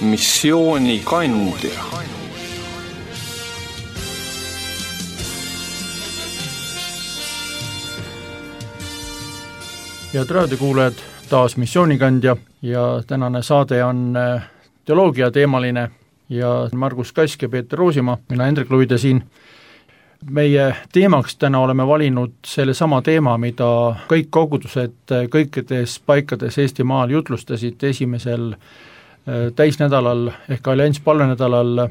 missioonikandja. Head raadiokuulajad, taas missioonikandja ja tänane saade on teoloogia teemaline ja Margus Kask ja Peeter Roosimaa, mina Hendrik Luide siin. Meie teemaks täna oleme valinud selle sama teema, mida kõik kogudused kõikides paikades Eestimaal jutlustasid esimesel täisnädalal ehk allianss palvenädalal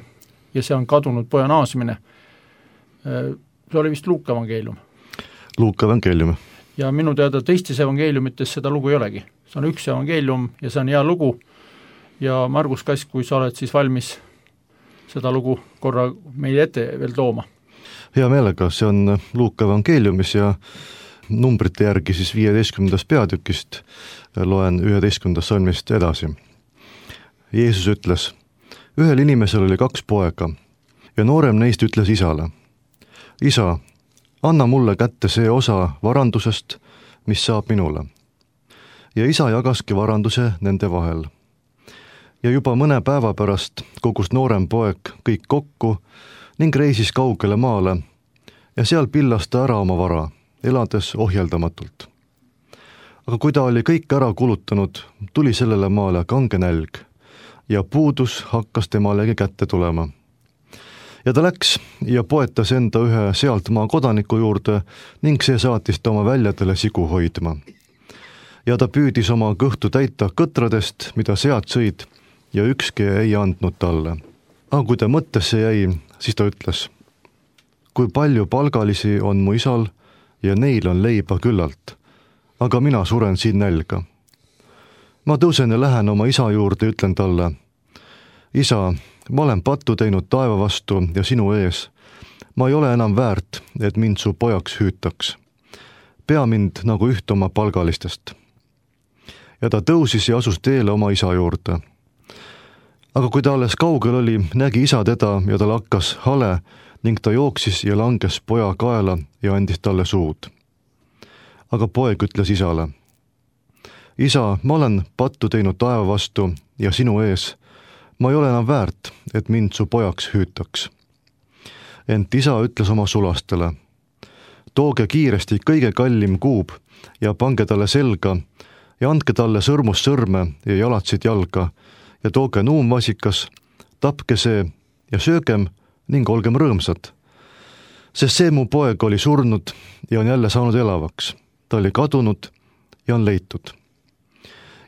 ja see on kadunud poja naasmine. See oli vist Luuka evangeelium. Luuka evangeelium. Ja minu teada teistes evangeeliumites seda lugu ei olegi. See on üks evangeelium ja see on hea lugu ja Margus Kask, kui sa oled siis valmis seda lugu korra meile ette veel tooma. Hea meelega, see on Luuka evangeeliumis ja numbrite järgi siis 15. peatükist loen 11. salmist edasi. Jeesus ütles, ühel inimesel oli 2 poega ja noorem neist ütles isale, isa, anna mulle kätte see osa varandusest, mis saab minule. Ja isa jagaski varanduse nende vahel. Ja juba mõne päeva pärast kogus noorem poeg kõik kokku ning reisis kaugele maale ja seal pillas ta ära oma vara, elades ohjeldamatult. Aga kui ta oli kõik ära kulutanud, tuli sellele maale kange nälg ja puudus hakkas temalegi kätte tulema. Ja ta läks ja poetas enda ühe sealt maa kodaniku juurde ning see saatis ta oma väljadele sigu hoidma. Ja ta püüdis oma kõhtu täita kõtradest, mida sead sõid ja ükski ei andnud talle. Aga kui ta mõttesse jäi, siis ta ütles, kui palju palgalisi on mu isal ja neil on leiba küllalt, aga mina suren siin nälga. Ma tõusen ja lähen oma isa juurde ja ütlen talle, isa, ma olen pattu teinud taeva vastu ja sinu ees. Ma ei ole enam väärt, et mind su pojaks hüütaks. Pea mind nagu üht oma palgalistest. Ja ta tõusis ja asus teele oma isa juurde. Aga kui ta alles kaugel oli, nägi isa teda ja tal hakkas hale ning ta jooksis ja langes poja kaela ja andis talle suud. Aga poeg ütles isale, isa, ma olen pattu teinud taeva vastu ja sinu ees. Ma ei ole enam väärt, et mind su pojaks hüütaks. Ent isa ütles oma sulastele, tooge kiiresti kõige kallim kuub ja pange talle selga ja andke talle sõrmus sõrme ja jalatsid jalga ja tooge nuumvasikas, tapke see ja söögem ning olgem rõõmsad. Sest see mu poeg oli surnud ja on jälle saanud elavaks. Ta oli kadunud ja on leitud.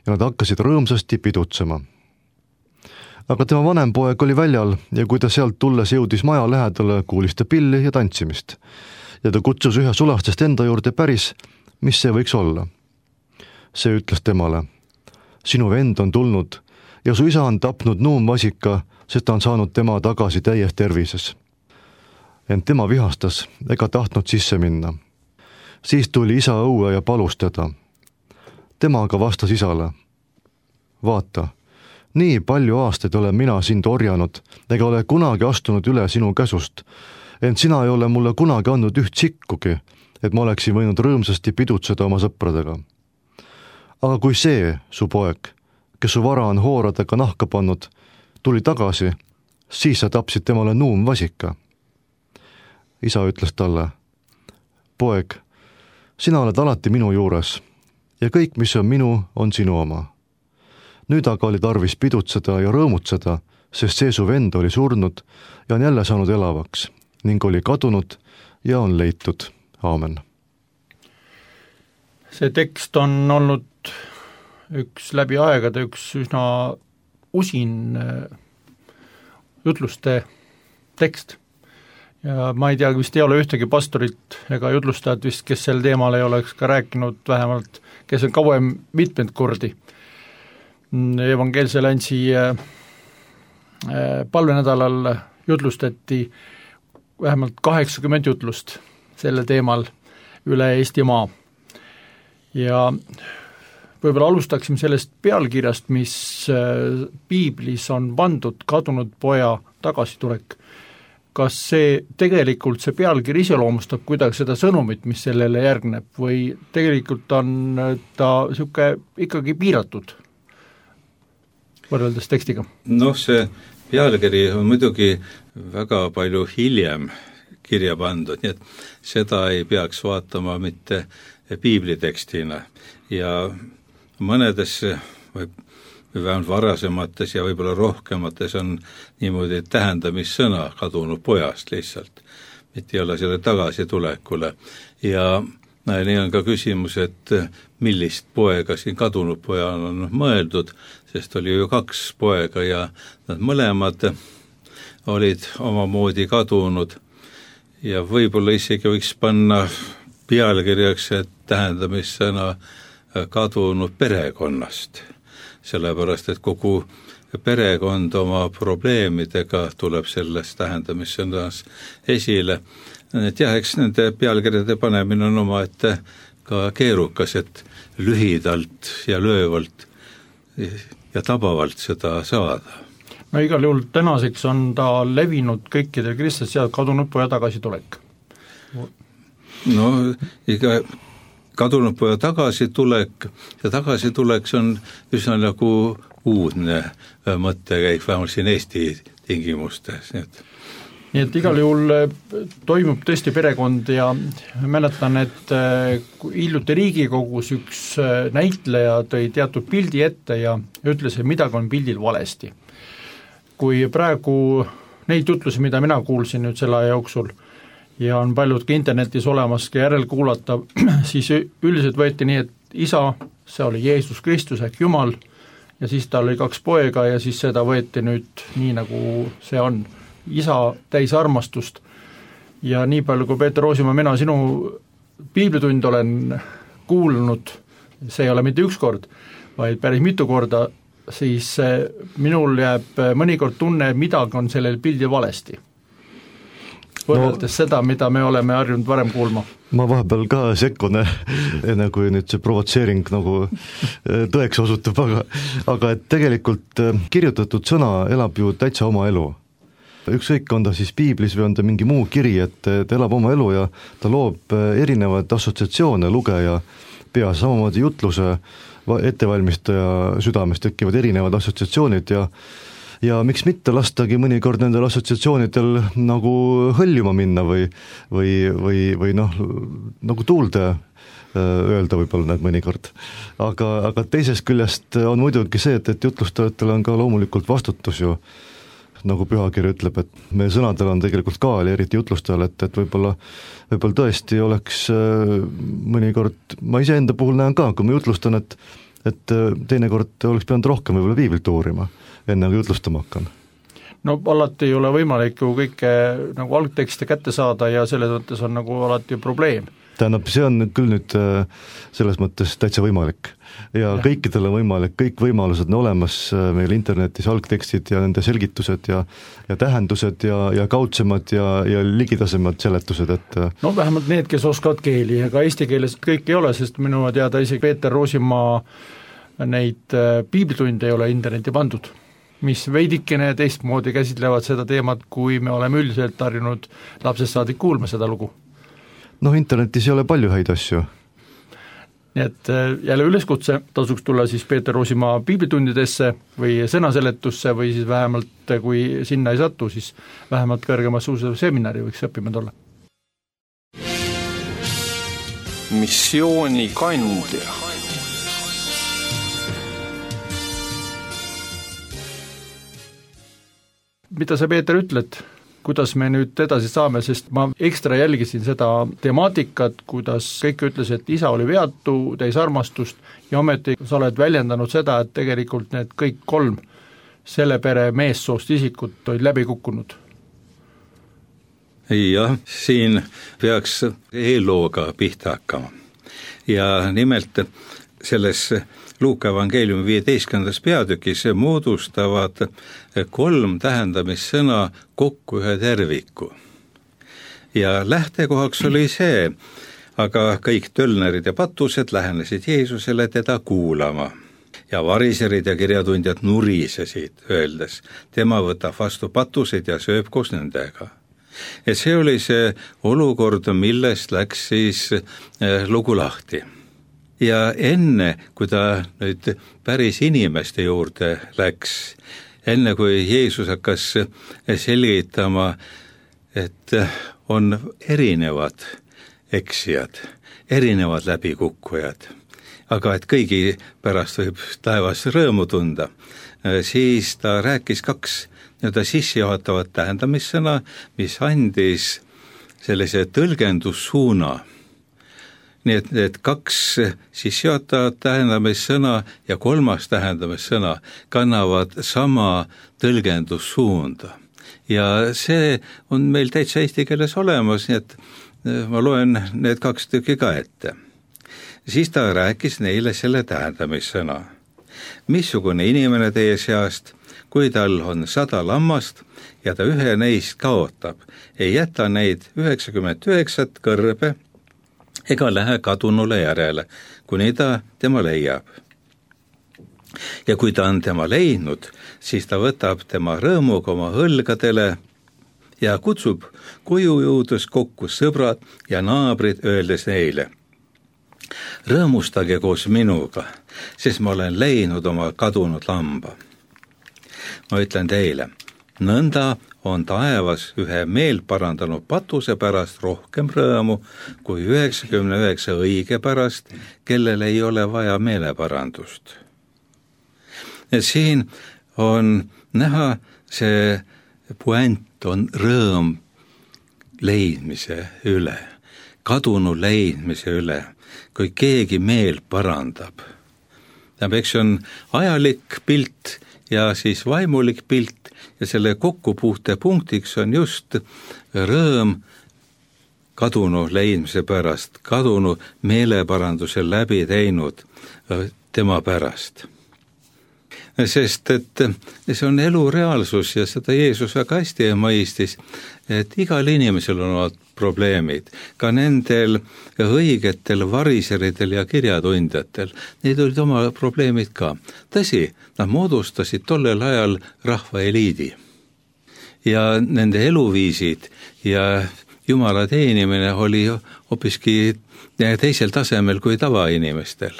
Ja nad hakkasid rõõmsasti pidutsema. Aga tema vanem poeg oli väljal ja kui ta sealt tulles jõudis maja lähedale, kuulis ta pilli ja tantsimist. Ja ta kutsus ühe sulastest enda juurde päris, mis see võiks olla. See ütles temale, sinu vend on tulnud ja su isa on tapnud nuumvasika, sest ta on saanud tema tagasi täies tervises. Ent tema vihastas ega tahtnud sisse minna. Siis tuli isa õue ja palus teda. Tema aga vastas isale, vaata, nii palju aastaid olen mina sind orjanud, ega ole kunagi astunud üle sinu käsust, ent sina ei ole mulle kunagi andnud üht sikkugi, et ma oleksin võinud rõõmsasti pidutseda oma sõpradega. Aga kui see, su poeg, kes su vara on hooradega nahka pannud, tuli tagasi, siis sa tapsid temale nuumvasika. Isa ütles talle, poeg, sina oled alati minu juures ja kõik, mis on minu, on sinu oma. Nüüd aga oli tarvis pidutseda ja rõõmutseda, sest see su vend oli surnud ja on jälle saanud elavaks ning oli kadunud ja on leitud. Aamen. See tekst on olnud üks läbi aegade üks üsna usin jutluste tekst. Ja ma ei tea, vist ei ole ühtegi pastorit ega jutlustajat vist, kes sel teemal ei oleks ka rääkinud vähemalt, kes on kauem mitmed kordi. Evangeelse alliansi palvenädalal jutlustati vähemalt 80 jutlust selle teemal üle Eestimaa. Ja võib-olla alustaksime sellest pealkirjast, mis piiblis on pandud kadunud poja tagasitulek. Kas see tegelikult see pealkiri iseloomustab kuidagi seda sõnumit, mis sellele järgneb või tegelikult on ta sihuke ikkagi piiratud? võrreldes tekstiga? See pealkiri on muidugi väga palju hiljem kirja pandud, nii et seda ei peaks vaatama mitte piiblitekstina ja mõnedes või vähemalt varasemates ja võib-olla rohkemates on niimoodi tähendamissõna kadunud pojast lihtsalt, mitte ei ole selle tagasitulekule ja nii on ka küsimus, et millist poega siin kadunud pojal on mõeldud, sest oli ju 2 poega ja nad mõlemad olid omamoodi kadunud ja võib-olla isegi võiks panna pealkirjaks, et tähendamissõna kadunud perekonnast, sellepärast et kogu perekond oma probleemidega tuleb selles tähendamissõnas esile. Et jah, eks nende pealkirjade panemine on omaette ka keerukas, et lühidalt ja löövalt ja tabavalt seda saada. Igal juhul tänaseks on ta levinud kõikidel kristlastel kadunud poja tagasitulek. Iga kadunud poja tagasitulek ja tagasituleks on üsna nagu uudne mõttekäik, vähemalt siin Eesti tingimustes, nii et igal juhul toimub tõesti perekond ja mäletan, et hiljuti Riigikogus üks näitleja tõi teatud pildi ette ja ütles, et midagi on pildil valesti. Kui praegu neid jutlusi, mida mina kuulsin nüüd selle aja jooksul ja on paljud ka internetis olemas ka järelkuulata, siis üldiselt võeti nii, et isa, see oli Jeesus Kristus ehk Jumal ja siis tal oli 2 poega ja siis seda võeti nüüd nii, nagu see on. Isa täis armastust ja nii palju, kui Peeter Roosimaa, mina sinu piiblitund olen kuulnud, see ei ole mitte üks kord, vaid päris mitu korda, siis minul jääb mõnikord tunne, et midagi on sellel pildil valesti. Võrreldes seda, mida me oleme harjunud varem kuulma. Ma vahepeal ka sekkun, enne kui nüüd see provotseering nagu tõeks osutub, aga et tegelikult kirjutatud sõna elab ju täitsa oma elu. Ükskõik on ta siis piiblis või on ta mingi muu kiri, et elab oma elu ja ta loob erinevaid assotsiatsioone lugeja peas, samamoodi jutluse ettevalmistaja südames tekivad erinevad assotsiatsioonid ja miks mitte lastagi mõnikord nendel assotsiatsioonidel nagu hõljuma minna või nagu tuulde öelda võib-olla need mõnikord. Aga teisest küljest on muidugi see, et jutlustajatel on ka loomulikult vastutus ju, nagu pühakiri ütleb, et meie sõnadel on tegelikult kaal ja eriti jutlustajal, et võib-olla tõesti oleks mõnikord, ma iseenda puhul näen ka, kui ma jutlustan, et teinekord oleks pidanud rohkem võib-olla piiblit uurima, enne kui jutlustama hakkan. Alati ei ole võimalik ju kõike nagu algtekste kätte saada ja selles mõttes on nagu alati probleem. Tähendab, see on küll nüüd selles mõttes täitsa võimalik ja kõikidel on võimalik, kõik võimalused on olemas meil internetis, algtekstid ja nende selgitused ja tähendused ja kaudsemad ja ligitasemad seletused, et vähemalt need, kes oskavad keeli, ega eesti keeles kõik ei ole, sest minu teada isegi Peeter Roosimaa neid piiblitunde ei ole interneti pandud, mis veidikene teistmoodi käsitlevad seda teemat, kui me oleme üldiselt harjunud lapsest saadik kuulma seda lugu. Internetis ei ole palju häid asju. Nii et jälle üleskutse tasuks tulla siis Peeter Roosimaa piiblitundidesse või sõnaseletusse või siis vähemalt, kui sinna ei satu, siis vähemalt kõrgemas seminari võiks õppima tulla. Missiooni kandja. Mida sa, Peeter, ütled? Kuidas me nüüd edasi saame, sest ma ekstra jälgisin seda temaatikat, kuidas kõik ütles, et isa oli veatu, täis armastust ja ometi sa oled väljendanud seda, et tegelikult need kõik 3 selle pere meessoost isikut olid läbi kukkunud. Jah, siin peaks eellooga pihta hakkama ja nimelt selles Luuka evangeeliumi 15. peatükis moodustavad 3 tähendamissõna kokku ühe terviku. Ja lähtekohaks oli see, aga kõik tölnerid ja patused lähenesid Jeesusele teda kuulama. Ja variserid ja kirjatundjad nurisesid, öeldes, tema võtab vastu patuseid ja sööb koos nendega. Et see oli see olukord, millest läks siis lugu lahti. Ja enne, kui ta nüüd päris inimeste juurde läks, enne kui Jeesus hakkas selgitama, et on erinevad eksijad, erinevad läbikukkujad, aga et kõigi pärast võib taevas rõõmu tunda, siis ta rääkis 2 sissejuhatavat tähendamissõna, mis andis sellise tõlgendussuuna. Nii et need 2 sissejuhatavat tähendamissõna ja 3. tähendamissõna kannavad sama tõlgendussuunda. Ja see on meil täitsa eesti keeles olemas, nii et ma loen need 2 tükki ka ette. Siis ta rääkis neile selle tähendamissõna. Missugune inimene teie seast, kui tal on 100 lammast ja ta ühe neist kaotab, ei jäta neid 99 kõrbe ega lähe kadunule järele, kuni ta tema leiab. Ja kui ta on tema leidnud, siis ta võtab tema rõõmuga oma õlgadele ja kutsub koju jõudes kokku sõbrad ja naabrid, öeldes neile: rõõmustage koos minuga, sest ma olen leidnud oma kadunud lamba. Ma ütlen teile, nõnda on taevas ühe meelparandanud patuse pärast rohkem rõõmu kui 99 õige pärast, kellel ei ole vaja meeleparandust. Et siin on näha see puänt on rõõm leidmise üle, kadunu leidmise üle, kui keegi meel parandab. Eks on ajalik pilt ja siis vaimulik pilt ja selle kokkupuute punktiks on just rõõm kadunu leidmise pärast, kadunu meeleparanduse läbi teinud tema pärast. Sest et see on elu reaalsus ja seda Jeesus väga hästi mõistis, et igal inimesel on olnud probleemid, ka nendel õigetel variseridel ja kirjatundjatel, neid olid oma probleemid ka. Tõsi, nad moodustasid tollel ajal rahva eliidi ja nende eluviisid ja Jumala teenimine oli hoopiski teisel tasemel kui tavainimestel.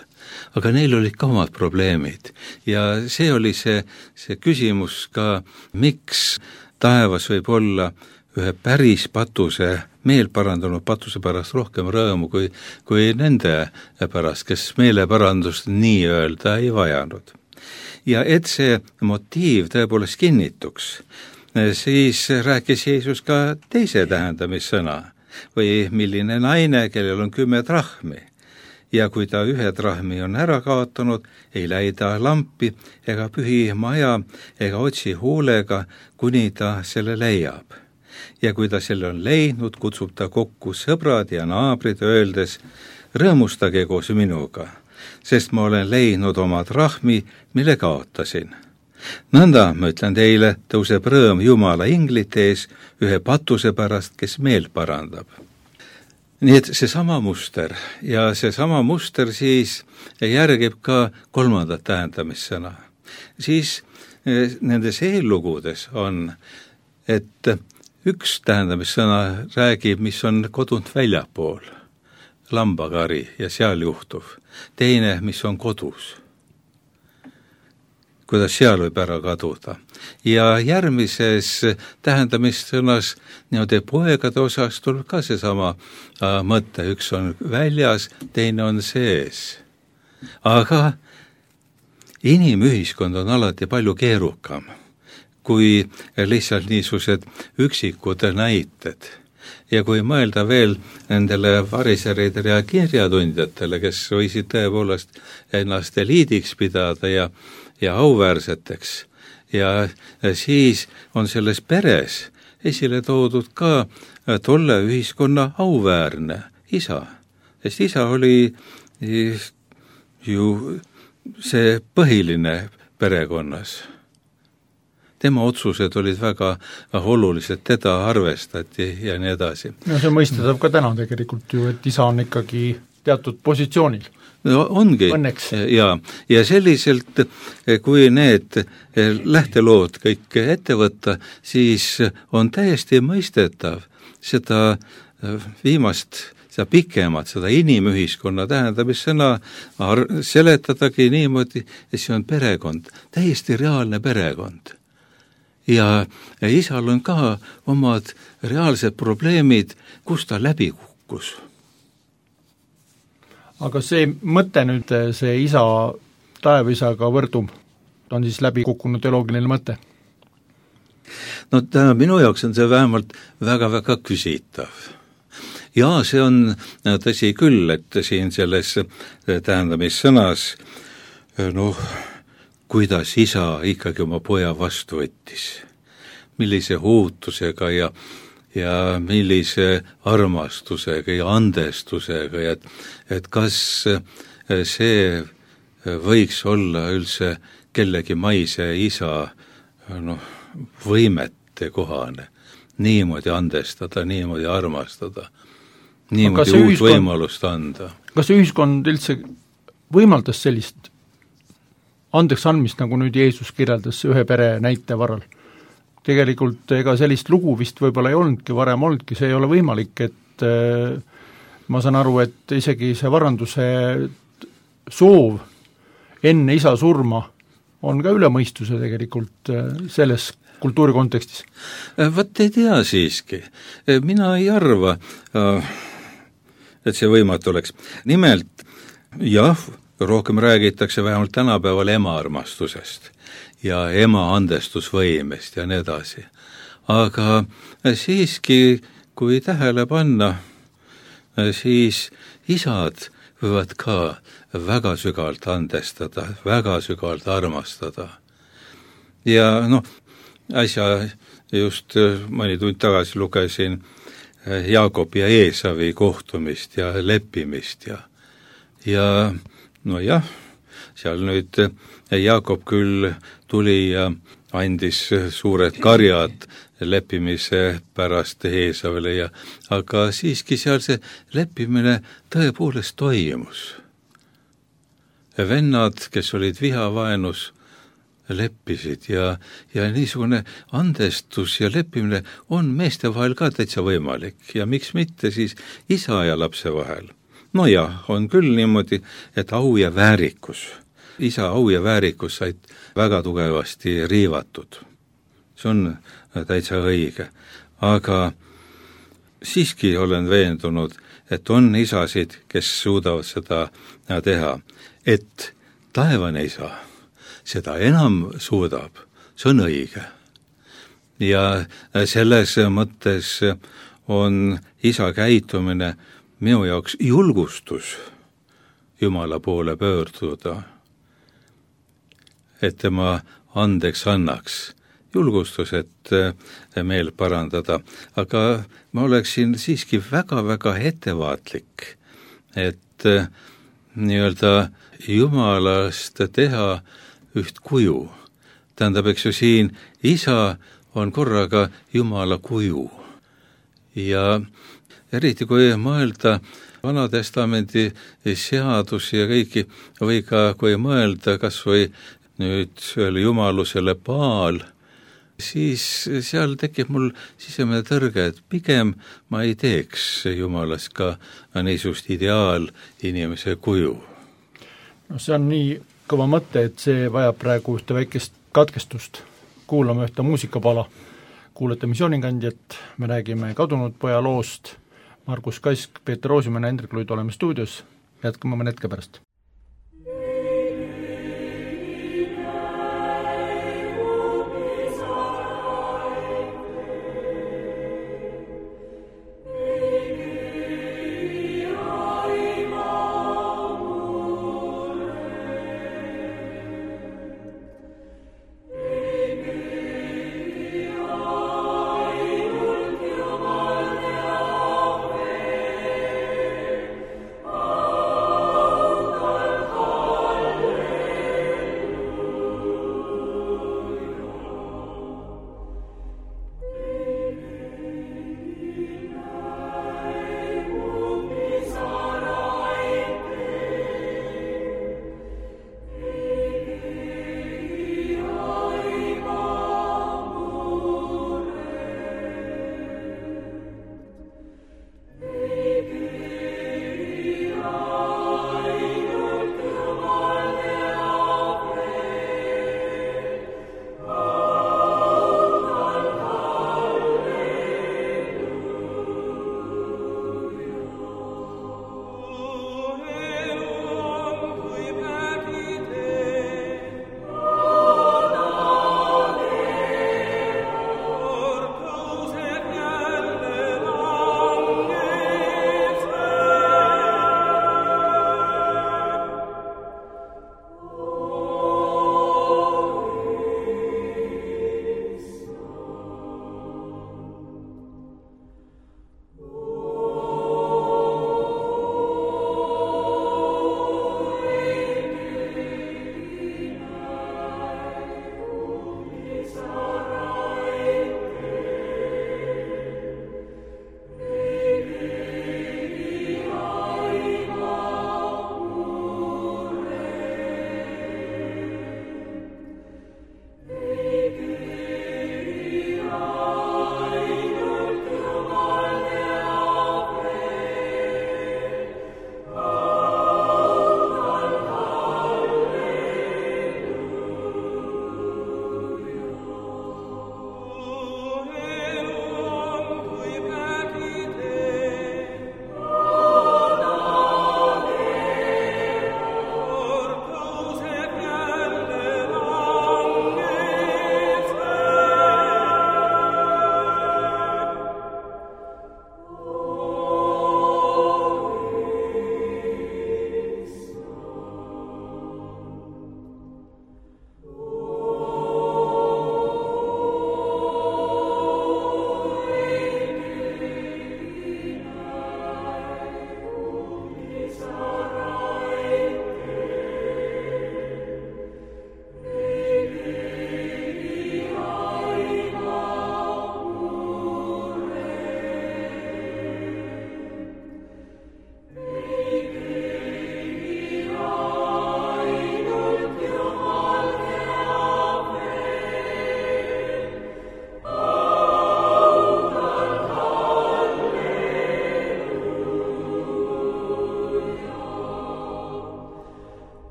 Aga neil olid ka omad probleemid ja see oli see küsimus ka, miks taevas võib olla ühe päris patuse, meelparandanud patuse pärast rohkem rõõmu kui nende pärast, kes meeleparandust nii-öelda ei vajanud. Ja et see motiiv tõepoolest kinnituks, siis rääkis Jeesus ka teise tähendamissõna või milline naine, kellel on 10 drahmi. Ja kui ta 1 drahmi on ära kaotanud, ei läida lampi ega pühi maja ega otsi huulega, kuni ta selle leiab. Ja kui ta selle on leidnud, kutsub ta kokku sõbrad ja naabrid, öeldes: rõõmustage koos minuga, sest ma olen leidnud oma drahmi, mille kaotasin. Nõnda, ma ütlen teile, tõuseb rõõm Jumala inglite ees ühe patuse pärast, kes meelt parandab. Nii et seesama muster ja seesama muster siis järgib ka 3. tähendamissõna. Siis nendes eellugudes on, et üks tähendamissõna räägib, mis on kodunt väljapool, lambakari ja seal juhtuv. Teine, mis on kodus, kuidas seal võib ära kaduda. Ja järgmises tähendamissõnas niimoodi poegade osas tuleb ka seesama mõte, üks on väljas, teine on sees. Aga inimühiskond on alati palju keerukam kui lihtsalt niisugused üksikud näited. Ja kui mõelda veel nendele variseridele ja kirjatundjatele, kes võisid tõepoolest ennast eliidiks pidada ja auväärseteks, ja siis on selles peres esile toodud ka tolle ühiskonna auväärne isa, sest isa oli ju see põhiline perekonnas. Tema otsused olid väga olulised, teda arvestati ja nii edasi. No see mõistetab ka täna tegelikult ju, et isa on ikkagi teatud positsioonil. No ongi. Õnneks. Ja selliselt, kui need lähtelood kõik ette võtta, siis on täiesti mõistetav seda viimast, seda pikemat, seda inimühiskonna tähendamissõna seletadagi niimoodi, et see on perekond, täiesti reaalne perekond. Ja isal on ka omad reaalsed probleemid, kus ta läbi kukkus. Aga see mõte nüüd, see isa taevisaga võrdum, on siis läbi kukkunud teoloogiline mõte? No minu jaoks on see vähemalt väga-väga küsitav. Ja see on tõsi küll, et siin selles tähendamissõnas, kuidas isa ikkagi oma poja vastu võttis, millise huutusega ja millise armastusega ja andestusega, et kas see võiks olla üldse kellegi maise isa võimete kohane, niimoodi andestada, niimoodi armastada, niimoodi uut võimalust anda. Kas ühiskond üldse võimaldas sellist andeks andmist, nagu nüüd Jeesus kirjeldas ühe pere näite varal? Tegelikult ega sellist lugu vist võib-olla ei olnudki, varem olnudki, see ei ole võimalik, et ma saan aru, et isegi see varanduse soov enne isa surma on ka üle mõistuse tegelikult selles kultuuri kontekstis. Võt ei tea siiski. Mina ei arva, et see võimatu oleks. Nimelt, jah, rohkem räägitakse vähemalt tänapäeval ema armastusest ja ema andestusvõimest ja nii edasi. Aga siiski, kui tähele panna, siis isad võivad ka väga sügavalt andestada, väga sügavalt armastada. Ja äsja just mõni tund tagasi lugesin Jaakob ja Eesavi kohtumist ja leppimist ja seal nüüd Jaakob küll tuli ja andis suured karjad leppimise pärast Eesavile aga siiski seal see leppimine tõepoolest toimus. Vennad, kes olid vihavaenus, leppisid ja niisugune andestus ja leppimine on meeste vahel ka täitsa võimalik ja miks mitte siis isa ja lapse vahel. On küll niimoodi, et au ja väärikus, isa au ja väärikus said väga tugevasti riivatud. See on täitsa õige, aga siiski olen veendunud, et on isasid, kes suudavad seda teha, et taevane isa seda enam suudab, see on õige. Ja selles mõttes on isa käitumine minu jaoks julgustus Jumala poole pöörduda, et tema andeks annaks, julgustus, et meel parandada, aga ma oleksin siiski väga-väga ettevaatlik, et nii-öelda Jumalast teha üht kuju. Tähendab, eks ju siin isa on korraga Jumala kuju ja eriti kui mõelda Vana Testamendi seadusi ja kõiki, või ka kui mõelda kas või nüüd jumalusele Baal, siis seal tekib mul sisemine tõrge, et pigem ma ei teeks Jumalast ka niisugust ideaal inimese kuju. See on nii kõva mõte, et see vajab praegu ühte väikest katkestust. Kuulame ühte muusikapala. Kuulete Missioonikandjat, me räägime kadunud poja loost. Margus Kask, Peeter Roosimäe ja Hendrik Luid oleme stuudios. Jätkame mõne hetke pärast.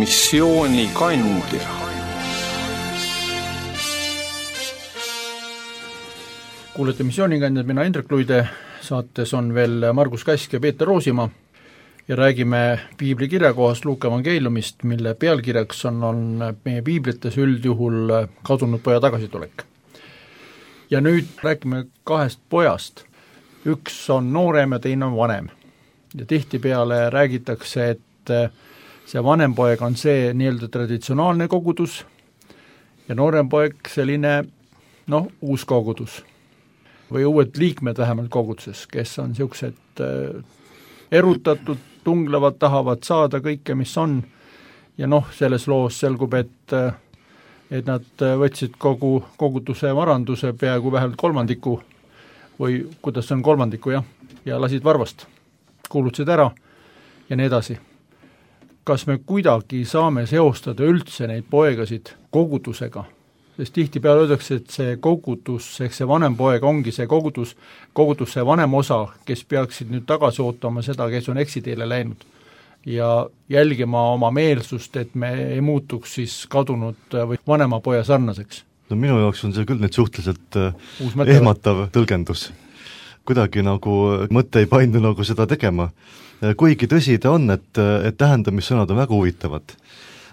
missioonikandja. Kuulete missioonikandjad, mina Indrek Luide, saates on veel Margus Kask ja Peeter Roosimaa ja räägime piibli kirjakohast Luuka evangeeliumist, mille pealkirjaks on meie piiblites üldjuhul kadunud poja tagasitulek. Ja nüüd räägime kahest pojast. Üks on noorem ja teine on vanem. Ja tihtipeale räägitakse, et see vanem poeg on see nii-öelda traditsionaalne kogudus ja noorem poeg selline, uus kogudus või uued liikmed vähemalt koguduses, kes on niisugused erutatud, tunglevad, tahavad saada kõike, mis on, ja selles loos selgub, et nad võtsid kogu koguduse varanduse peaaegu vähemalt kolmandiku või kuidas see on kolmandiku, ja lasid varvast, kuulutasid ära ja nii edasi. Kas me kuidagi saame seostada üldse neid poegasid kogudusega? Sest tihtipeale öeldakse, et see kogudus, ehk see vanem poeg ongi see kogudus see vanem osa, kes peaksid nüüd tagasi ootama seda, kes on eksiteele läinud ja jälgima oma meelsust, et me ei muutuks siis kadunud või vanema poja sarnaseks. No minu jaoks on see küll nüüd suhteliselt ehmatav tõlgendus. Kuidagi nagu mõte ei paindu nagu seda tegema. Kuigi tõsi ta on, et tähendamissõnad on väga huvitavad.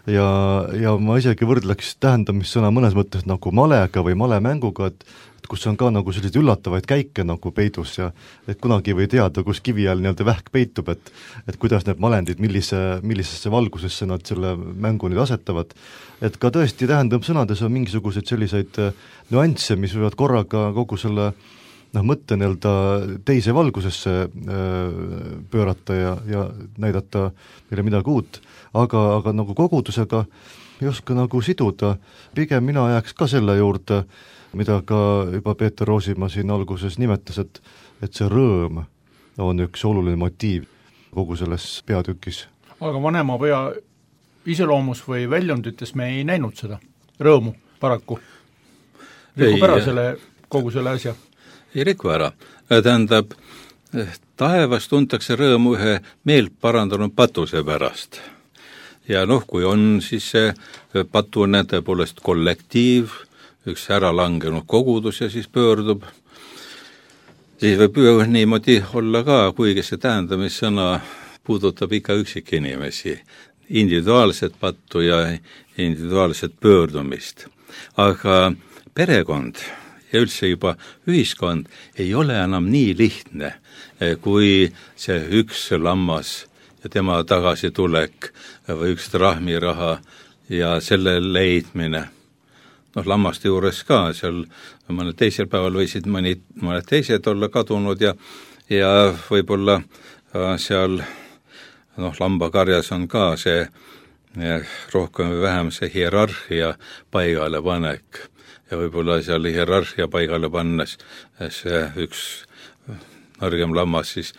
Ja ma isegi võrdleks tähendamissõna mõnes mõttes nagu malega või malemänguga, et kus on ka nagu selliseid üllatavaid käike nagu peidus ja et kunagi või teada, kus kivi all nii-öelda vähk peitub, et kuidas need malendid, millisesse valgusesse nad selle mängu nüüd asetavad. Et ka tõesti tähendamissõnades on mingisuguseid selliseid nüansse, mis võivad korraga kogu selle mõtte nii-öelda teise valgusesse pöörata ja näidata meile midagi uut, aga nagu kogudusega ei oska nagu siduda. Pigem mina jääks ka selle juurde, mida ka juba Peeter Roosimaa siin alguses nimetas, et see rõõm on üks oluline motiiv kogu selles peatükis. Aga vanema poja iseloomus või väljundites me ei näinud seda rõõmu paraku. Rikub ära kogu selle asja. Ei riku ära. Tähendab, taevas tuntakse rõõmu ühe meelt parandanud patuse pärast. Ja kui on siis see patune tõepoolest kollektiiv, üks ära langenud kogudus ja siis pöördub, siis võib niimoodi olla ka, kuigi see tähendamissõna puudutab ikka üksik inimesi, individuaalset pattu ja individuaalset pöördumist. Aga perekond ja üldse juba ühiskond ei ole enam nii lihtne, kui see üks lammas ja tema tagasitulek või üks trahmiraha ja selle leidmine. Lammaste juures ka, seal mõnel teisel päeval võisid mõned teised olla kadunud ja võib-olla seal lambakarjas on ka see rohkem või vähem see hierarhia paigale panek. Ja võib-olla seal hierarhia paigale pannes see üks nõrgem lammas siis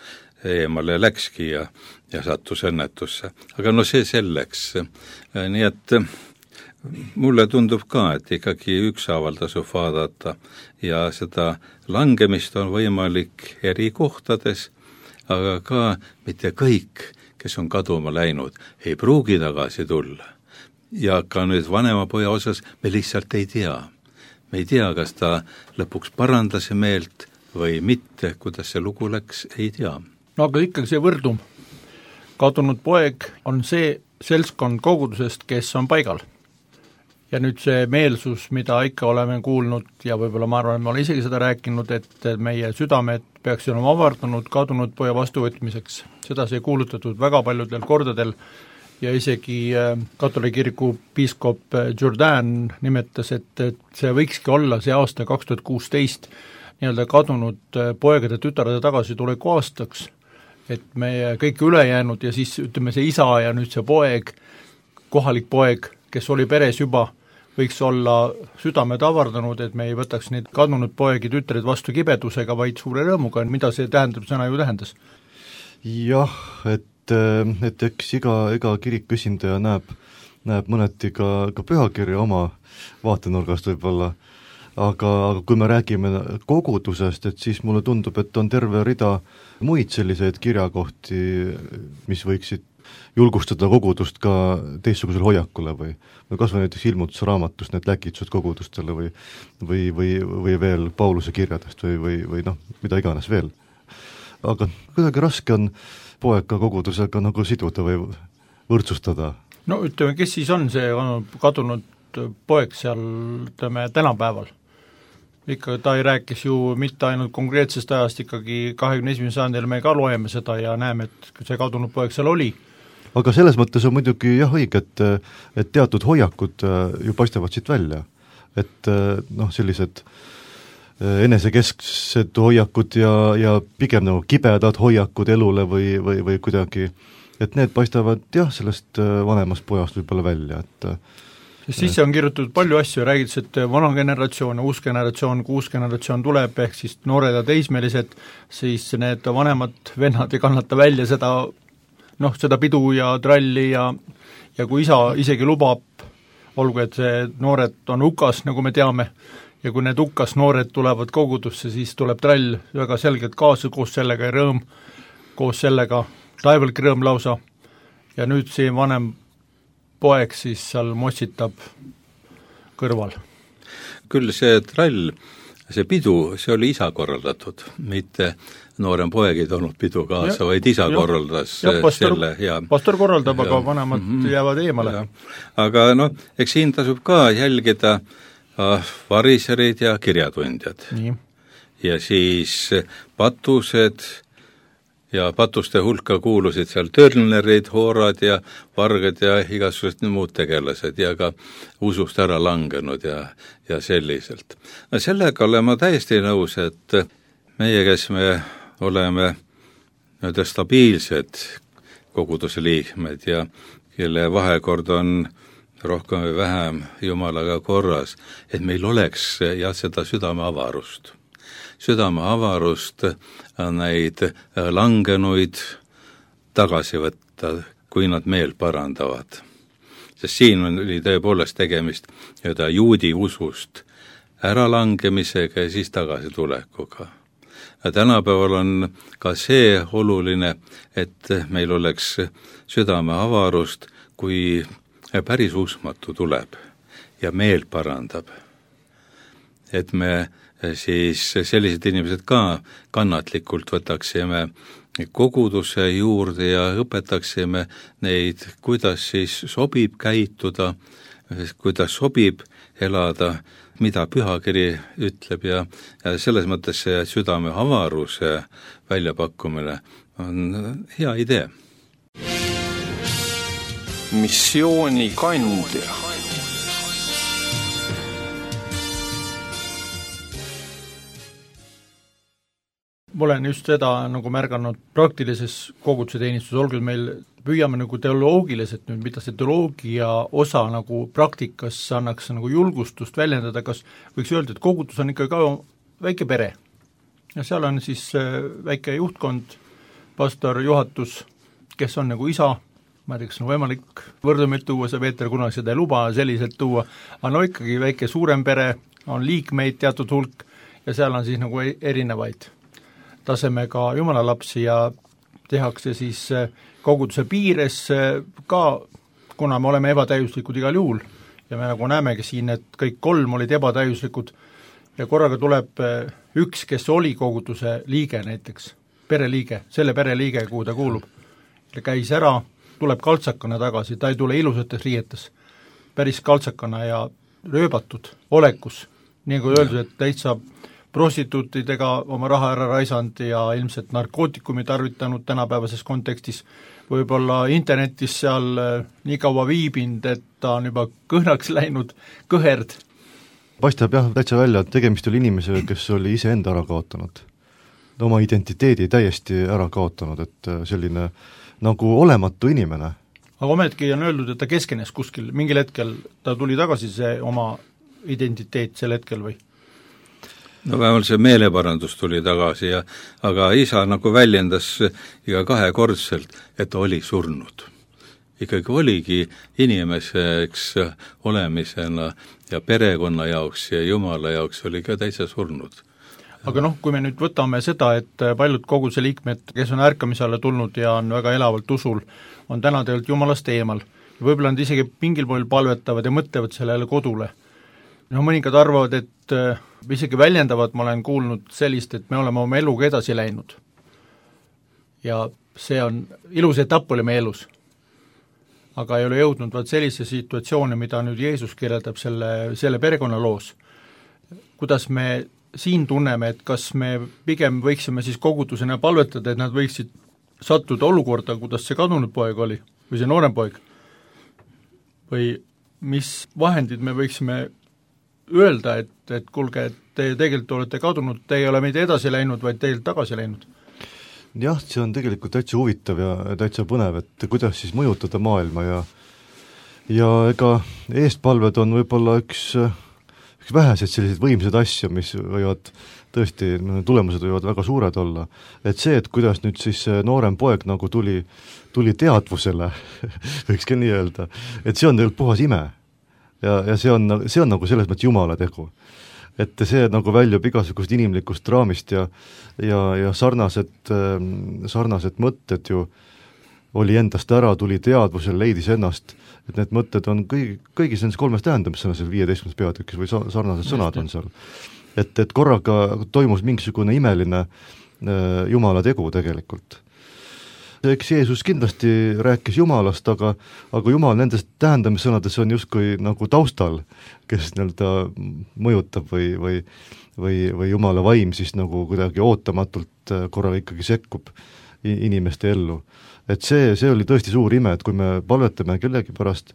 eemale läkski ja sattus õnnetusse. Aga see selleks. Nii et mulle tundub ka, et ikkagi ükshaaval tasub vaadata ja seda langemist on võimalik eri kohtades, aga ka mitte kõik, kes on kaduma läinud, ei pruugi tagasi tulla. Ja ka nüüd vanema poja osas me lihtsalt ei tea. Me ei tea, kas ta lõpuks parandas meelt või mitte, kuidas see lugu läks, ei tea. Aga ikkagi see võrdum. Kadunud poeg on see seltskond kogudusest, kes on paigal. Ja nüüd see meelsus, mida ikka oleme kuulnud ja võib-olla ma arvan, et ma olen isegi seda rääkinud, et meie südamed peaks olema avardunud kadunud poja vastuvõtmiseks. Seda see kuulutatud väga paljudel kordadel ja isegi katoliku kiriku piiskop Jourdain nimetas, et see võikski olla see aasta 2016 nii-öelda kadunud poegade tütarde tagasituleku aastaks, et meie kõik ülejäänud ja siis ütleme see isa ja nüüd see poeg, kohalik poeg, kes oli peres juba, võiks olla südamed avardanud, et me ei võtaks neid kadunud poegi tütreid vastu kibedusega, vaid suure rõõmuga, mida see tähendab, sõna ju tähendas. Jah, et eks iga kiriku esindaja näeb mõneti ka pühakirja oma vaatenurgast võib-olla, aga kui me räägime kogudusest, et siis mulle tundub, et on terve rida muid selliseid kirjakohti, mis võiksid julgustada kogudust ka teistsugusel hoiakule või kas või näiteks ilmutusraamatust need läkitused kogudustele või veel Pauluse kirjadest või noh, mida iganes veel. Aga kuidagi raske on poega kogudusega nagu siduda või võrdsustada. No ütleme, kes siis on see kadunud poeg seal, ütleme, tänapäeval? Ikka ta ei rääkis ju mitte ainult konkreetsest ajast, ikkagi 21. sajandil me ka loeme seda ja näeme, et see kadunud poeg seal oli. Aga selles mõttes on muidugi jah õige, et teatud hoiakud ju paistavad siit välja. Et noh, sellised enesekesksed hoiakud ja pigem nagu kibedad hoiakud elule või kuidagi, et need paistavad jah, sellest vanemast pojast võib-olla välja, et sisse on kirjutatud palju asju, räägitakse, et vana generatsioon ja uus generatsioon tuleb, ehk siis noored ja teismelised, siis need vanemad vennad ei kannata välja seda, noh, seda pidu ja tralli ja kui isa isegi lubab, olgu, et see noored on hukas, nagu me teame, ja kui need hukas noored tulevad kogudusse, siis tuleb trall väga selgelt kaasa koos sellega ja rõõm, koos sellega taevalik rõõm lausa, ja nüüd see vanem poeg siis seal mossitab kõrval. Küll see trall, see pidu, see oli isa korraldatud, mitte noorem poeg ei toonud pidu kaasa, vaid isa korraldas selle. Pastor korraldab, aga vanemad jäävad eemale. Aga noh, eks siin tasub ka jälgida variserid ja kirjatundjad. Nii. Ja siis patused ja patuste hulka kuulusid seal törnerid, hoorad ja vargad ja igasugused muud tegelased ja ka usust ära langenud ja selliselt. No sellega olen ma täiesti nõus, et meie, kes me oleme nüüd stabiilsed koguduse liikmed ja kelle vahekord on rohkem või vähem Jumalaga korras, et meil oleks jah, seda südameavarust neid langenuid tagasi võtta, kui nad meel parandavad. Sest siin oli tõepoolest tegemist juudi usust äralangemisega ja siis tagasitulekuga. Ja tänapäeval on ka see oluline, et meil oleks südameavarust, kui päris usmatu tuleb ja meel parandab. Et me siis sellised inimesed ka kannatlikult võtaksime koguduse juurde ja õpetaksime neid, kuidas siis sobib käituda, kuidas sobib elada, mida pühakiri ütleb ja selles mõttes see südame avaruse väljapakkumine on hea idee. Missioonikandja. Ma olen just seda nagu märganud praktilises koguduse teenistuses, olgu meil püüame nagu teoloogiliselt nüüd, mida see teoloogia osa nagu praktikas annaks nagu julgustust väljendada, kas võiks öelda, et kogudus on ikka ka väike pere ja seal on siis väike juhtkond, pastor, juhatus, kes on nagu isa, ma ei tea, kas on võimalik võrdumit tuua, see Peeter kunagi seda ei luba selliselt tuua, aga no ikkagi väike suurem pere, on liikmeid teatud hulk ja seal on siis nagu erinevaid tasemega jumalalapsi ja tehakse siis koguduse piires ka, kuna me oleme ebatäiuslikud igal juhul ja me nagu näemegi siin, et kõik kolm olid ebatäiuslikud ja korraga tuleb üks, kes oli koguduse liige näiteks, pereliige, selle pereliige, kuhu ta kuulub, ja käis ära, tuleb kaltsakana tagasi, ta ei tule ilusates riietes, päris kaltsakana ja rööbatud olekus, nii kui öeldud, et täitsa prostituutidega oma raha ära raisanud ja ilmselt narkootikumi tarvitanud tänapäevases kontekstis, võib-olla internetis seal nii kaua viibinud, et ta on juba kõhnaks läinud, kõherd. Paistab jah täitsa välja, et tegemist oli inimesega, kes oli iseenda ära kaotanud. Oma identiteedi täiesti ära kaotanud, et selline nagu olematu inimene. Aga ometki on öeldud, et ta keskenes kuskil, mingil hetkel ta tuli tagasi see oma identiteet sel hetkel või? No vähemalt see meeleparandus tuli tagasi aga isa nagu väljendas iga kahekordselt, et ta oli surnud. Ikkagi oligi inimeseks olemisena ja perekonna jaoks ja Jumala jaoks oli ka täitsa surnud. aga kui me nüüd võtame seda, et paljud koguduse liikmed, kes on ärkamise alla tulnud ja on väga elavalt usul, on täna tegelikult Jumalast eemal. Võib-olla nad isegi mingil pool palvetavad ja mõtlevad sellele kodule. Mõningad arvavad, et isegi väljendavad, ma olen kuulnud sellist, et me oleme oma eluga edasi läinud. Ja see on, ilus etapp oli meie elus. Aga ei ole jõudnud vaat sellise situatsioone, mida nüüd Jeesus kirjeldab selle perekonnaloos. Kuidas me siin tunneme, et kas me pigem võiksime siis kogudusena palvetada, et nad võiksid sattuda olukorda, kuidas see kadunud poeg oli, või see noorem poeg, või mis vahendid me võiksime öelda, et kuulge, et te tegelikult olete kadunud, te ei ole meid edasi läinud, vaid teilt tagasi läinud. Jah, see on tegelikult täitsa huvitav ja täitsa põnev, et kuidas siis mõjutada maailma ja ega eestpalved on võib-olla üks väheseid selliseid võimsad asju, mis võivad tõesti, tulemused võivad väga suured olla. Et see, et kuidas nüüd siis noorem poeg nagu tuli teadvusele, võiks ka nii öelda, et see on tegelikult puhas ime. Ja see on nagu selles mõttes Jumala tegu. Et see nagu väljub igasugust inimlikust raamist ja sarnased mõtted ju oli endast ära, tuli teadvusel, leidis ennast, et need mõtted on kõigis nendes 3 tähendamisena seal 15. peatükis või sarnased sõnad on seal. Et korraga toimus mingisugune imeline Jumala tegu tegelikult. Eks Jeesus kindlasti rääkis Jumalast, aga Jumal nendes tähendamissõnades on justkui nagu taustal, kes mõjutab või Jumala vaim siis nagu kuidagi ootamatult korraga ikkagi sekkub inimeste ellu. Et see oli tõesti suur ime, et kui me palvetame kellegi pärast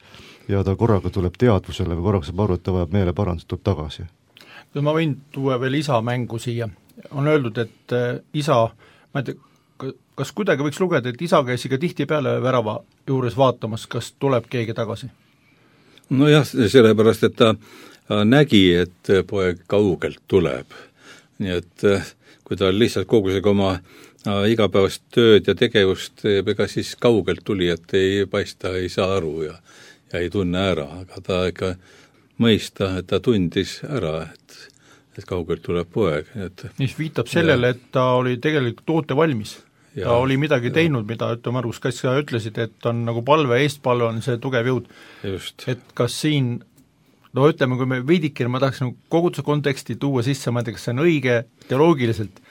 ja ta korraga tuleb teadvusele või korraga saab aru, et ta vajab meeleparandust, tuleb tagasi. Ma võin tuua veel isa mängu siia. On öeldud, et isa, ma ei tea, kas kuidagi võiks lugeda, et isa käis ikka tihti peale värava juures vaatamas, kas tuleb keegi tagasi? No jah, sellepärast, et ta nägi, et poeg kaugelt tuleb. Nii et kui ta lihtsalt kogusega oma igapäevast tööd ja tegevust teeb, ega siis kaugelt tuli, et ei paista, ei saa aru ja ei tunne ära, aga ta ikka mõista, et ta tundis ära, et kaugelt tuleb poeg. Mis viitab sellele, et ta oli tegelikult toote valmis. Ta oli midagi teinud, mida Margus Kass ütlesid, et on nagu palve, eestpalve on see tugev jõud. Just. Et kas siin, ütleme, kui me veidikene, ma tahaks koguduse konteksti tuua sisse, ma ei tea, kas see on õige teoloogiliselt,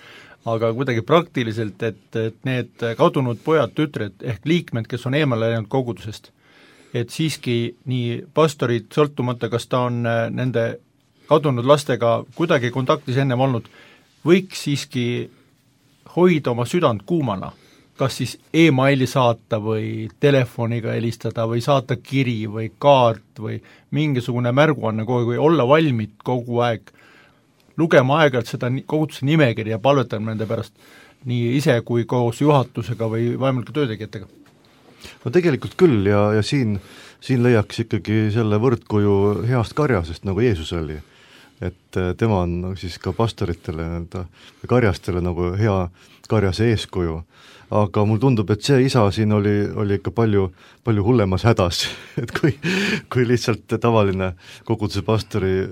aga kuidagi praktiliselt, et need kadunud pojad, tütred ehk liikmed, kes on eemale läinud kogudusest, et siiski nii pastorid, sõltumata, kas ta on nende kadunud lastega kuidagi kontaktis ennem olnud, võiks siiski hoida oma südant kuumana, kas siis e-maili saata või telefoniga helistada või saata kiri või kaart või mingisugune märguanne kogu aeg või olla valmid kogu aeg, lugema aeg-ajalt seda koguduse nimekirja ja palvetama nende pärast nii ise kui koos juhatusega või vaimulike töötegijatega. No tegelikult küll ja siin leiaks ikkagi selle võrdkuju heast karjasest, nagu Jeesus oli. Et tema on siis ka pastoritele, karjastele nagu hea karjase eeskuju. Aga mul tundub, et see isa siin oli ikka palju hullemas hädas, et kui lihtsalt tavaline koguduse pastori,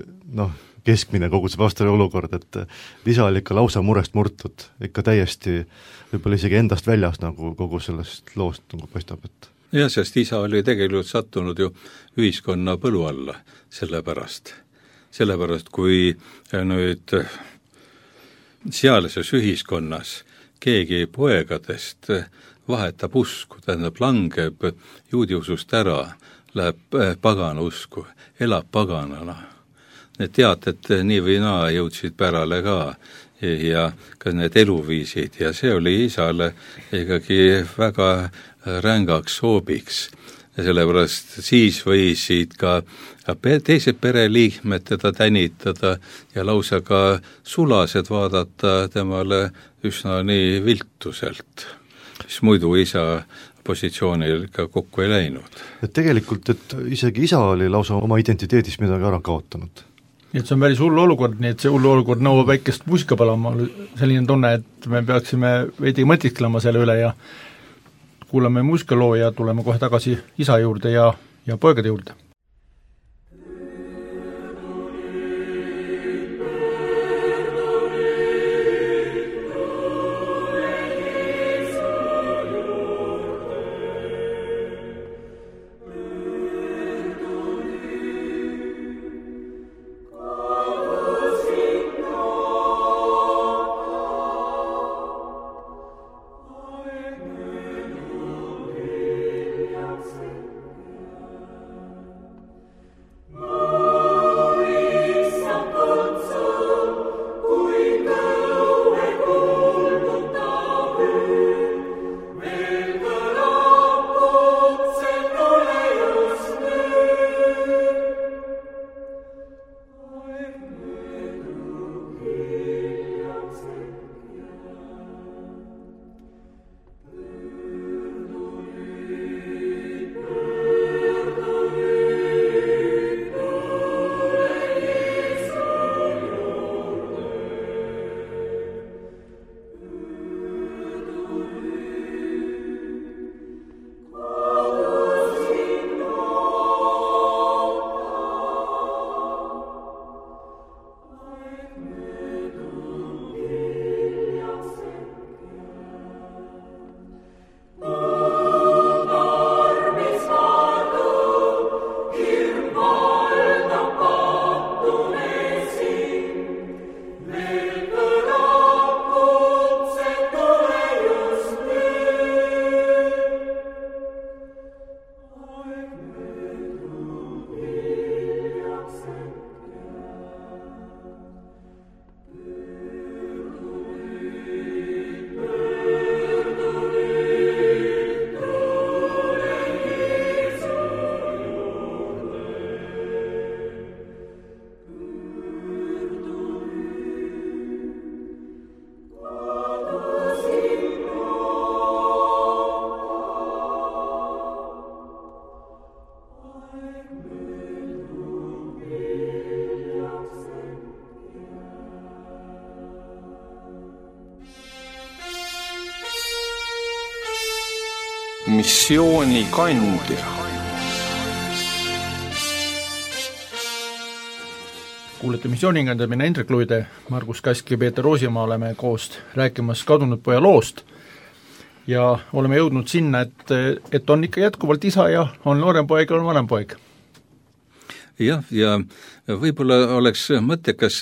keskmine koguduse pastori olukord, et isa oli ikka lausa murest murtud, ikka täiesti võib-olla isegi endast väljas nagu kogu sellest loost nagu paistab, et jah, sest isa oli tegelikult sattunud ju ühiskonna põlu alla sellepärast, kui nüüd sealses ühiskonnas keegi poegadest vahetab usku, tähendab langeb juudiusust ära, läheb pagana usku, elab paganana. Need teated nii või naa jõudsid pärale ka ja ka need eluviisid ja see oli isale ikkagi väga rängaks hoobiks. Ja sellepärast siis võisid ka teised pereliikmed teda tänitada ja lausa ka sulased vaadata temale üsna nii viltuselt, mis muidu isa positsioonil ka kokku ei läinud. Et tegelikult, et isegi isa oli lausa oma identiteedis midagi ära kaotanud. Nii et see on päris hullu olukord, nii et see hullu olukord nõuab väikest muusikapalama, selline tunne, et me peaksime veidi mõtisklema selle üle ja kuulame muusikaloo ja tuleme kohe tagasi isa juurde ja poegade juurde. missioonikandja. Kuulete missioonikandja, mina Indrek Luide, Margus Kask ja Peeter Roosimaa oleme koos rääkimas Kadunud poja loost ja oleme jõudnud sinna, et on ikka jätkuvalt isa ja on noorem poeg ja on vanem poeg. Jah, ja võib-olla oleks mõttekas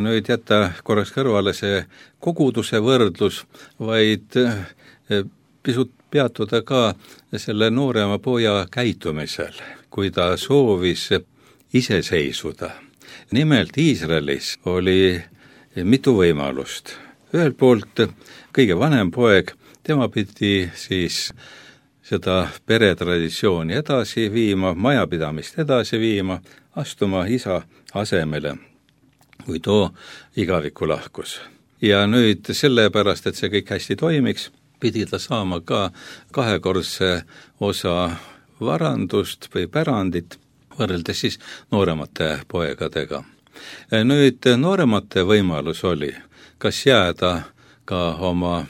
nüüd jätta korraks kõrvale see koguduse võrdlus, vaid pisut peatuda ka selle noorema poja käitumisel, kui ta soovis iseseisvuda. Nimelt Iisraelis oli mitu võimalust. Ühelt poolt kõige vanem poeg, tema pidi siis seda peretraditsiooni edasi viima, majapidamist edasi viima, astuma isa asemele, kui too igavikku lahkus. Ja nüüd sellepärast, et see kõik hästi toimiks, pidi ta saama ka kahekordse osa varandust või pärandit, võrreldes siis nooremate poegadega. Nüüd nooremate võimalus oli, kas jääda ka oma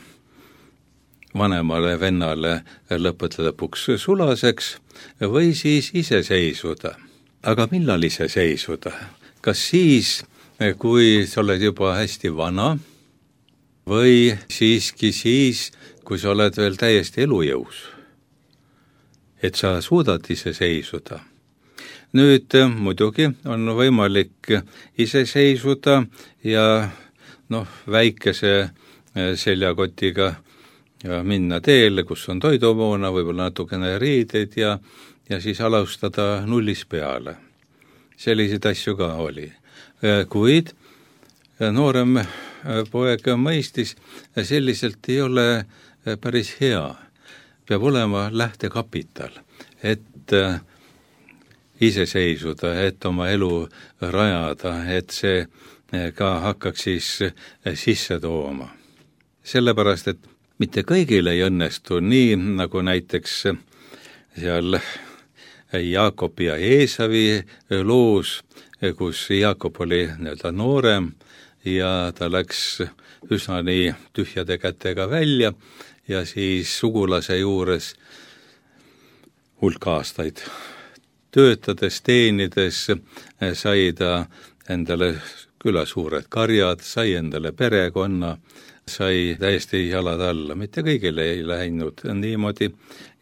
vanemale vennale lõppude lõpuks sulaseks või siis iseseisvuda. Aga millal iseseisvuda? Kas siis, kui sa oled juba hästi vana või siiski siis, kui sa oled veel täiesti elujõus? Et sa suudad iseseisvuda. Nüüd muidugi on võimalik iseseisvuda ja väikese seljakotiga ja minna teele, kus on toidumoona, võib-olla natukene riideid ja siis alustada nullist peale. Selliseid asju ka oli. Kuid noorem poeg mõistis, selliselt ei ole päris hea. Peab olema lähtekapital, et iseseisvuda, et oma elu rajada, et see ka hakkaks siis sisse tooma. Sellepärast, et mitte kõigil ei õnnestu nii, nagu näiteks seal Jaakobi ja Eesavi loos, kus Jaakob oli noorem ja ta läks üsna nii tühjade kätega välja ja siis sugulase juures hulk aastaid töötades, teenides sai ta endale küla suured karjad, sai endale perekonna, sai täiesti jalad alla, mitte kõigile ei läinud niimoodi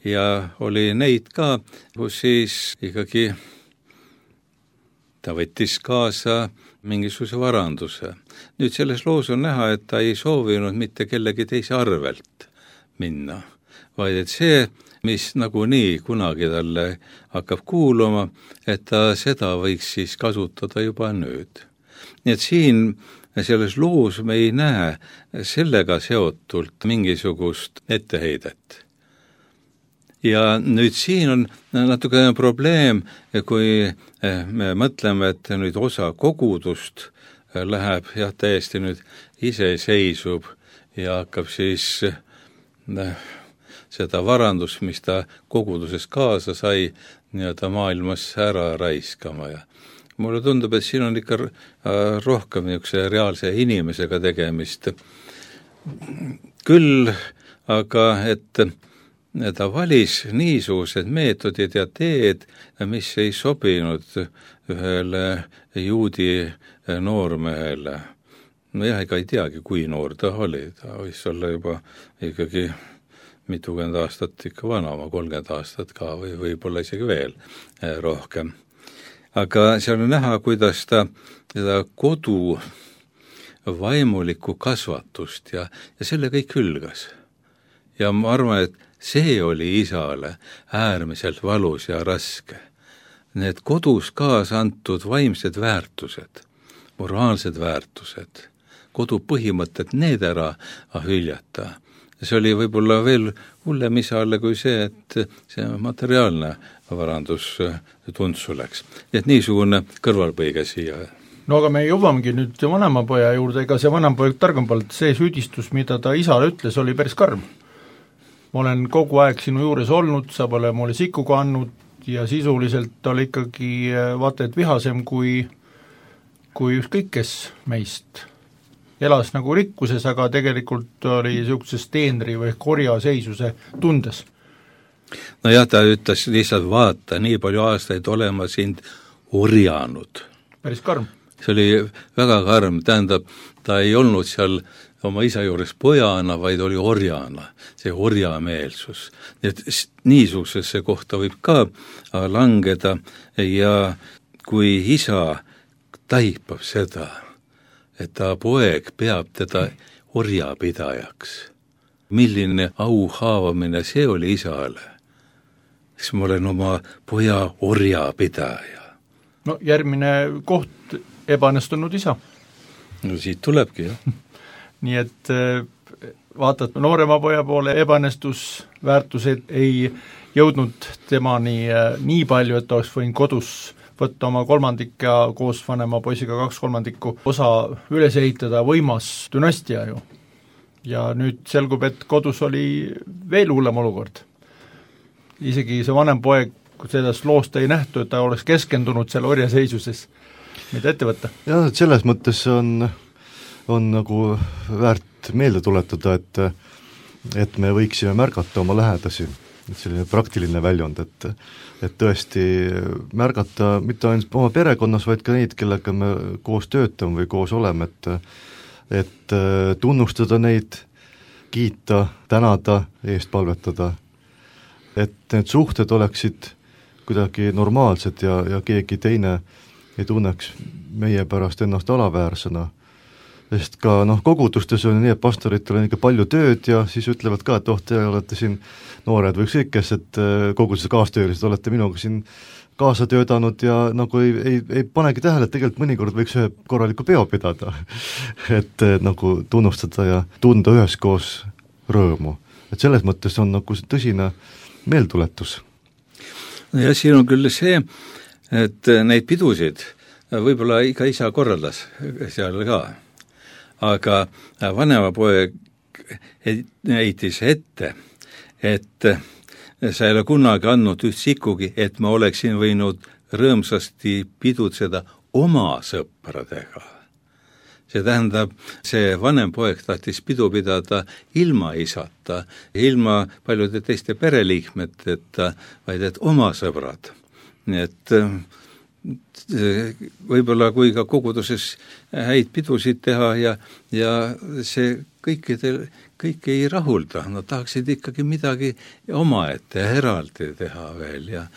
ja oli neid ka, kus siis ikkagi ta võttis kaasa mingisuguse varanduse. Nüüd selles loos on näha, et ta ei soovinud mitte kellegi teise arvelt minna, vaid et see, mis nagunii kunagi talle hakkab kuuluma, et ta seda võiks siis kasutada juba nüüd. Nii et siin selles loos me ei näe sellega seotult mingisugust etteheidet. Ja nüüd siin on natukene probleem, kui me mõtleme, et nüüd osa kogudust läheb täiesti nüüd iseseisub ja hakkab siis seda varandust, mis ta koguduses kaasa sai, nii-öelda maailmas ära raiskama ja mulle tundub, et siin on ikka rohkem niisuguse reaalse inimesega tegemist. Küll aga, et ta valis niisugused meetodid ja teed, mis ei sobinud ühele juudi noormehele. Ega ei teagi, kui noor ta oli. Ta võis olla juba ikkagi mitukümmend aastat ikka vana, oma 30 aastat ka või võib-olla isegi veel rohkem. Aga seal on näha, kuidas ta seda kodu vaimulikku kasvatust ja selle kõik hülgas. Ja ma arvan, et see oli isale äärmiselt valus ja raske. Need kodus kaasa antud vaimsed väärtused, moraalsed väärtused, kodu põhimõtted, need ära hüljata. See oli võib-olla veel hullem isale kui see, et see materiaalne varandus tundsu läks. Et niisugune kõrvalpõige siia. No aga me jõuamegi nüüd vanema poja juurde, ega see vanem poeg targem polnud, see süüdistus, mida ta isale ütles, oli päris karm. Ma olen kogu aeg sinu juures olnud, sa pole mulle sikkuga andnud ja sisuliselt oli ikkagi vaata et vihasem kui ükskõik kes meist. Elas nagu rikkuses, aga tegelikult oli niisuguses teenri või korjaseisuse tundes. no jah, ta ütles lihtsalt vaata, nii palju aastaid olema sind orjanud. Päris karm. See oli väga karm, tähendab, ta ei olnud seal oma isa juures pojana, vaid oli orjana, see orjameelsus. Nii et niisugusesse kohta võib ka langeda ja kui isa taipab seda, et ta poeg peab teda orjapidajaks, milline au haavamine see oli isale, siis ma olen oma poja orjapidaja. No järgmine koht, ebaõnnestunud isa. No siit tulebki, jah. Nii et vaatad noorema poja poole, ebaõnnestusväärtused ei jõudnud temani nii palju, et oleks võinud kodus võtta oma kolmandik ja koos vanema poisiga 2/3 osa üles ehitada, võimas dünastia ju. Ja nüüd selgub, et kodus oli veel hullem olukord. Isegi see vanem poeg, kui sellest loost ei nähtu, et ta oleks keskendunud selle orjaseisuses, mida ette võtta. jah, et selles mõttes on nagu väärt meelde tuletada, et me võiksime märgata oma lähedasi, et selline praktiline väljund, et tõesti märgata mitte ainult oma perekonnas, vaid ka neid, kellega me koos töötame või koos oleme, et tunnustada neid, kiita, tänada, eest palvetada, et need suhted oleksid kuidagi normaalsed ja keegi teine ei tunneks meie pärast ennast alaväärsena. Sest ka kogudustes on nii, et pastoritel on ikka palju tööd ja siis ütlevad ka, et te olete siin noored või ükskõik kes, et koguduse kaastöölised olete minuga siin kaasa töötanud ja nagu ei panegi tähele, et tegelikult mõnikord võiks ühe korraliku peo pidada et nagu tunnustada ja tunda üheskoos rõõmu. Et selles mõttes on nagu tõsine meeltuletus. Ja siin on küll see, et neid pidusid võib-olla iga isa korraldas seal ka, aga vanema poeg heitis ette, et sa ei ole kunagi andnud üht sikugi, et ma oleksin võinud rõõmsasti pidutseda oma sõpradega. See tähendab, see vanem poeg tahtis pidu pidada ilma isata, ilma paljude teiste pereliikmeteta, vaid et oma sõbrad. Nii et võib-olla kui ka koguduses häid pidusid teha ja see kõiki ei rahulda, nad tahaksid ikkagi midagi omaette eraldi teha veel ja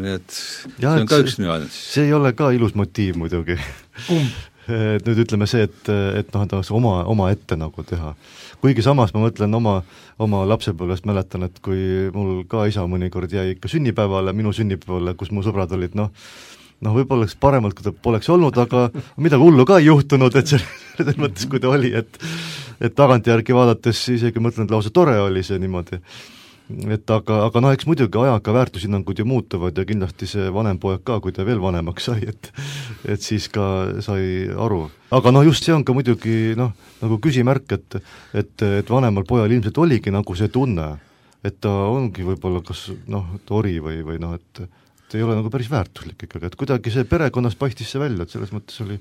need, see on ka üks nüanss. See ei ole ka ilus motiiv muidugi. Nüüd ütleme see, et tahaks oma ette nagu teha. Kuigi samas ma mõtlen oma lapsepõlvest mäletan, et kui mul ka isa mõnikord jäi ikka sünnipäevale, minu sünnipäevale, kus mu sõbrad olid, võib-olla oleks paremalt, kui ta poleks olnud, aga midagi hullu ka ei juhtunud, et selles mõttes, kui ta oli, et tagantjärgi vaadates isegi mõtlen, et lausa tore oli see niimoodi. Et aga eks muidugi ajaga väärtushinnangud ju muutuvad ja kindlasti see vanem poeg ka, kui ta veel vanemaks sai, et siis ka sai aru. Aga just see on ka muidugi nagu küsimärk, et vanemal pojal ilmselt oligi nagu see tunne, et ta ongi võib-olla kas tori või et ei ole nagu päris väärtuslik ikkagi, et kuidagi see perekonnas paistis see välja, et selles mõttes oli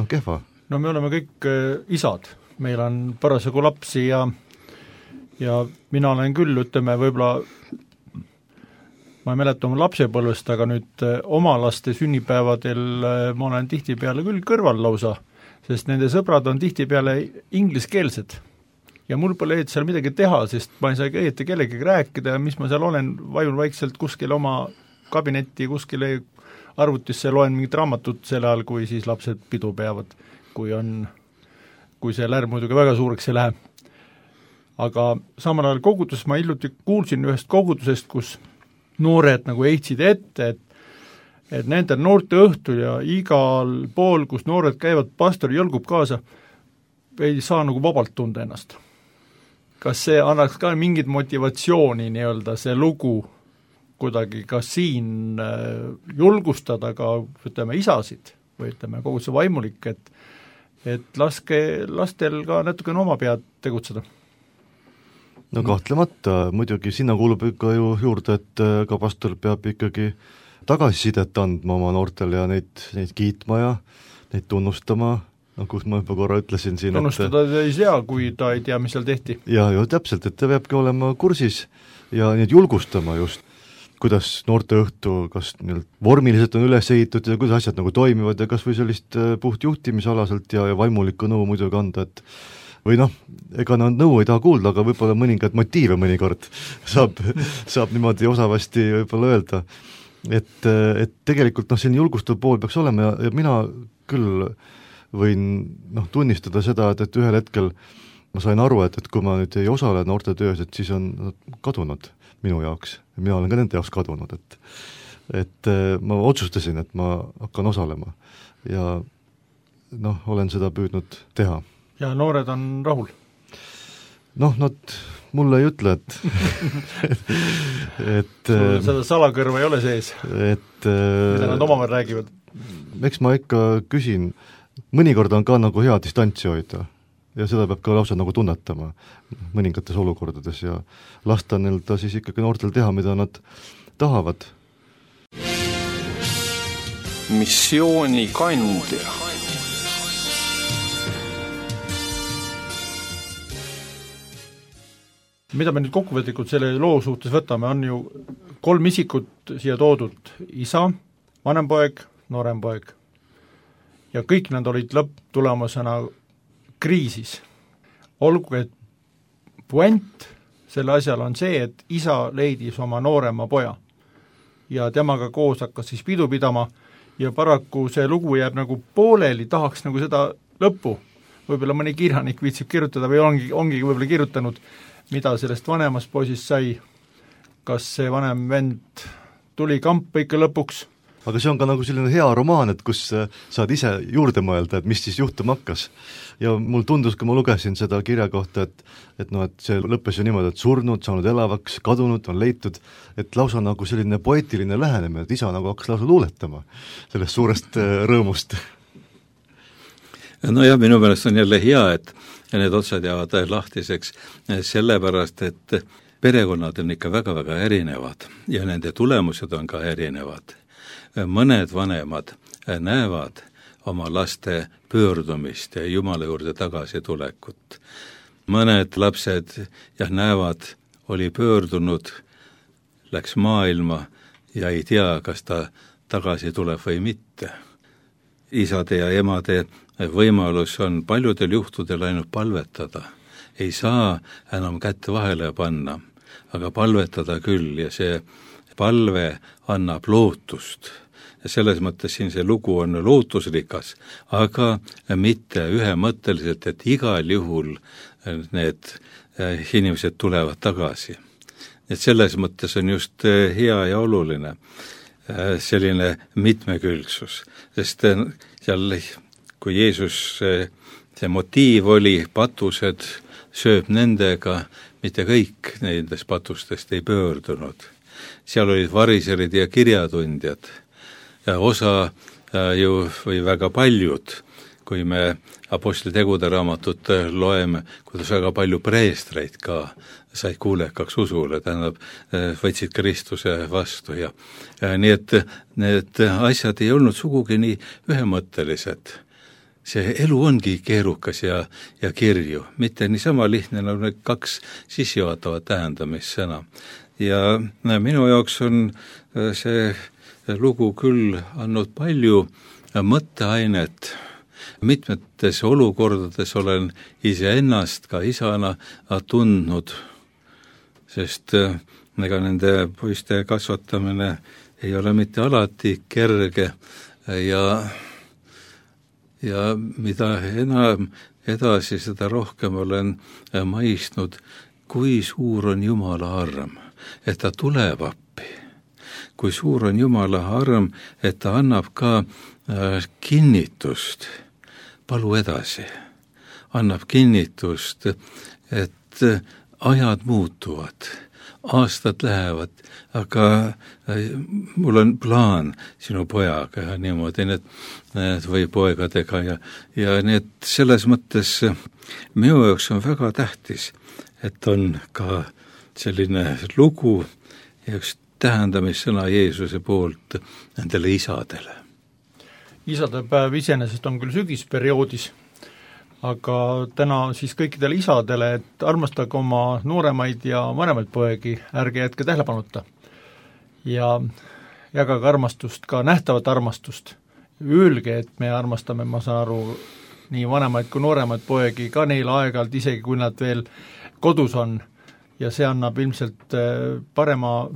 kehva. No me oleme kõik isad, meil on parasjagu lapsi ja mina olen küll, ütleme, võib-olla ma ei mäleta oma lapsepõlvest, aga nüüd oma laste sünnipäevadel ma olen tihtipeale küll kõrval lausa, sest nende sõbrad on tihtipeale ingliskeelsed. Ja mul pole seal midagi teha, sest ma ei saa õieti kellegagi rääkida ja mis ma seal olen, vajun vaikselt kuskil oma kabinetti, kuskile arvutisse loen mingit raamatut selle ajal, kui siis lapsed pidu peavad, kui see lärm muidugi väga suureks ei lähe. Aga samal ajal kogudus, ma hiljuti kuulsin ühest kogudusest, kus noored nagu heitsid ette, et nende noorte õhtul ja igal pool, kus noored käivad, pastor jõlgub kaasa, ei saa nagu vabalt tunda ennast. Kas see annaks ka mingit motivatsiooni nii-öelda see lugu kuidagi ka siin julgustada ka, ütleme, isasid või ütleme, koguduse vaimulik, et laske lastel ka natukene oma pead tegutseda? Kahtlemata, muidugi sinna kuulub ikka ju juurde, et ka pastor peab ikkagi tagasisidet andma oma noortele ja neid kiitma ja neid tunnustama kus ma juba korra ütlesin siin, tunnustada ta ei saa, kui ta ei tea, mis seal tehti. Ja täpselt, et ta peabki olema kursis ja neid julgustama just, kuidas noorteõhtu, kas vormiliselt on üles ehitud ja kuidas asjad nagu toimivad ja kas või sellist puht juhtimisalaselt ja vaimulikku nõu muidugi anda, et või ega nad nõu ei taha kuulda, aga võib-olla mõningad motiive mõnikord saab niimoodi osavasti võib-olla öelda. Et tegelikult selline julgustav pool peaks olema ja mina küll võin tunnistada seda, et ühel hetkel ma sain aru, et kui ma nüüd ei osale noortetöös, et siis on nad kadunud minu jaoks ja mina olen ka nende jaoks kadunud, et ma otsustasin, et ma hakkan osalema ja olen seda püüdnud teha. Ja noored on rahul? Nad mulle ei ütle, et seda salakõrva ei ole sees, mida nad omavahel räägivad? Eks ma ikka küsin, mõnikord on ka nagu hea distantsi hoida ja seda peab ka lausa nagu tunnetama mõningates olukordades ja lasta ta siis ikkagi noortel teha, mida nad tahavad. Missiooni kandja. Mida me nüüd kokkuvõtlikult selle loo suhtes võtame, on ju 3 isikut siia toodud, isa, vanem poeg, noorem poeg. Ja kõik nad olid lõpptulemusena kriisis. Olgu, et puent selle asjal on see, et isa leidis oma noorema poja ja temaga koos hakkas siis pidu pidama ja paraku see lugu jääb nagu pooleli, tahaks nagu seda lõppu. Võib-olla mõni kirjanik viitsib kirjutada või ongi võib-olla kirjutanud, mida sellest vanemast poisist sai, kas see vanem vend tuli kampa ikka lõpuks. Aga see on ka nagu selline hea romaan, et kus saad ise juurde mõelda, et mis siis juhtuma hakkas. Ja mul tundus, kui ma lugesin seda kirja kohta, et see lõppes ju niimoodi, et surnud, saanud elavaks, kadunud, on leitud, et lausa nagu selline poeetiline lähenemine, et isa nagu hakkas lausa luuletama sellest suurest rõõmust. No ja minu meelest on jälle hea, et need otsad jäävad lahtiseks sellepärast, et perekonnad on ikka väga-väga erinevad ja nende tulemused on ka erinevad. Mõned vanemad näevad oma laste pöördumist ja Jumala juurde tagasi tulekut. Mõned lapsed näevad, oli pöördunud, läks maailma ja ei tea, kas ta tagasi tuleb või mitte. Isade ja emade võimalus on paljudel juhtudel ainult palvetada. Ei saa enam kätt vahele panna, aga palvetada küll ja see palve annab lootust. Ja selles mõttes siin see lugu on lootusrikas, aga mitte ühemõtteliselt, et igal juhul need inimesed tulevad tagasi. Et selles mõttes on just hea ja oluline selline mitmekülgsus, sest seal kui Jeesus, see motiiv oli, patused sööb nendega, mitte kõik nendest patustest ei pöördunud. Seal olid variserid ja kirjatundjad ja osa ju või väga paljud, kui me Apostlitegude raamatut loeme, kuidas väga palju preestreid ka said kuulekaks usule, tähendab, võtsid Kristuse vastu ja nii, et need asjad ei olnud sugugi nii ühemõttelised. See elu ongi keerukas ja kirju, mitte niisama lihtne nagu need 2 sissejuhatavat tähendamissõna. Ja minu jaoks on see lugu küll andnud palju mõtteainet. Mitmetes olukordades olen iseennast ka isana tundnud, sest ega nende poiste kasvatamine ei ole mitte alati kerge ja mida enam edasi, seda rohkem olen mõistnud, kui suur on Jumala arm, et ta tuleb appi. Kui suur on Jumala arm, et ta annab ka kinnitust, palu edasi, annab kinnitust, et ajad muutuvad, aastad lähevad, aga mul on plaan sinu pojaga ja niimoodi need või poegadega ja need selles mõttes minu jaoks on väga tähtis, et on ka selline lugu ja üks tähendamissõna Jeesuse poolt nendele isadele. Isadepäev iseenesest on küll sügisperioodis, aga täna siis kõikidele isadele, et armastage oma nooremaid ja vanemaid poegi, ärge jätke tähelepanuta. Ja jagage armastust, ka nähtavat armastust. Öelge, et me armastame, ma saan aru, nii vanemaid kui nooremaid poegi, ka neil aeg-ajalt, isegi kui nad veel kodus on, ja see annab ilmselt parema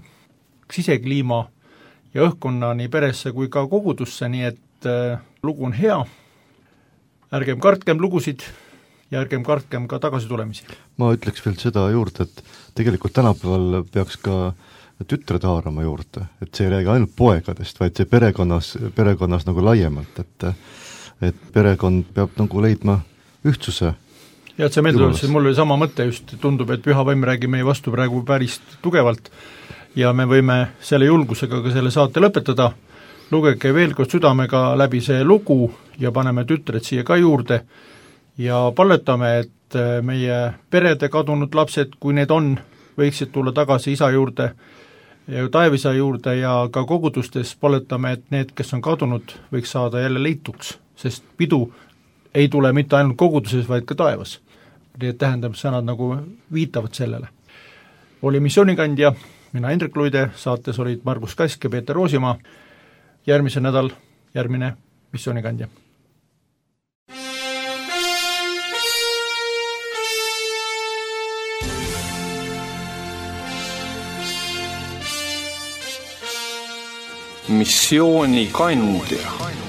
sisekliima ja õhkkonna nii peresse kui ka kogudusse, nii et lugu on hea, ärgem kartkem lugusid ja ärgem kartkem ka tagasi tulemisi. Ma ütleks veel seda juurde, et tegelikult tänapäeval peaks ka tütred haarama juurde, et see ei räägi ainult poegadest, vaid see perekonnas nagu laiemalt, et perekond peab nagu leidma ühtsuse. Ja et see meeldib, mul oli sama mõte just, tundub, et püha vaim räägib meie vastu praegu päris tugevalt ja me võime selle julgusega ka selle saate lõpetada. Lugege veel kord südamega läbi see lugu ja paneme tütred siia ka juurde ja palvetame, et meie perede kadunud lapsed, kui need on, võiksid tulla tagasi isa juurde ja taevisa juurde ja ka kogudustes palvetame, et need, kes on kadunud, võiks saada jälle leituks, sest pidu ei tule mitte ainult koguduses, vaid ka taevas. Need tähendamissõnad nagu viitavad sellele. Oli missioonikandja, mina Hendrik Luide, saates olid Margus Kask ja Peeter Roosimaa. Järgmise nädal järgmine missioonikandja. Missioonikandja.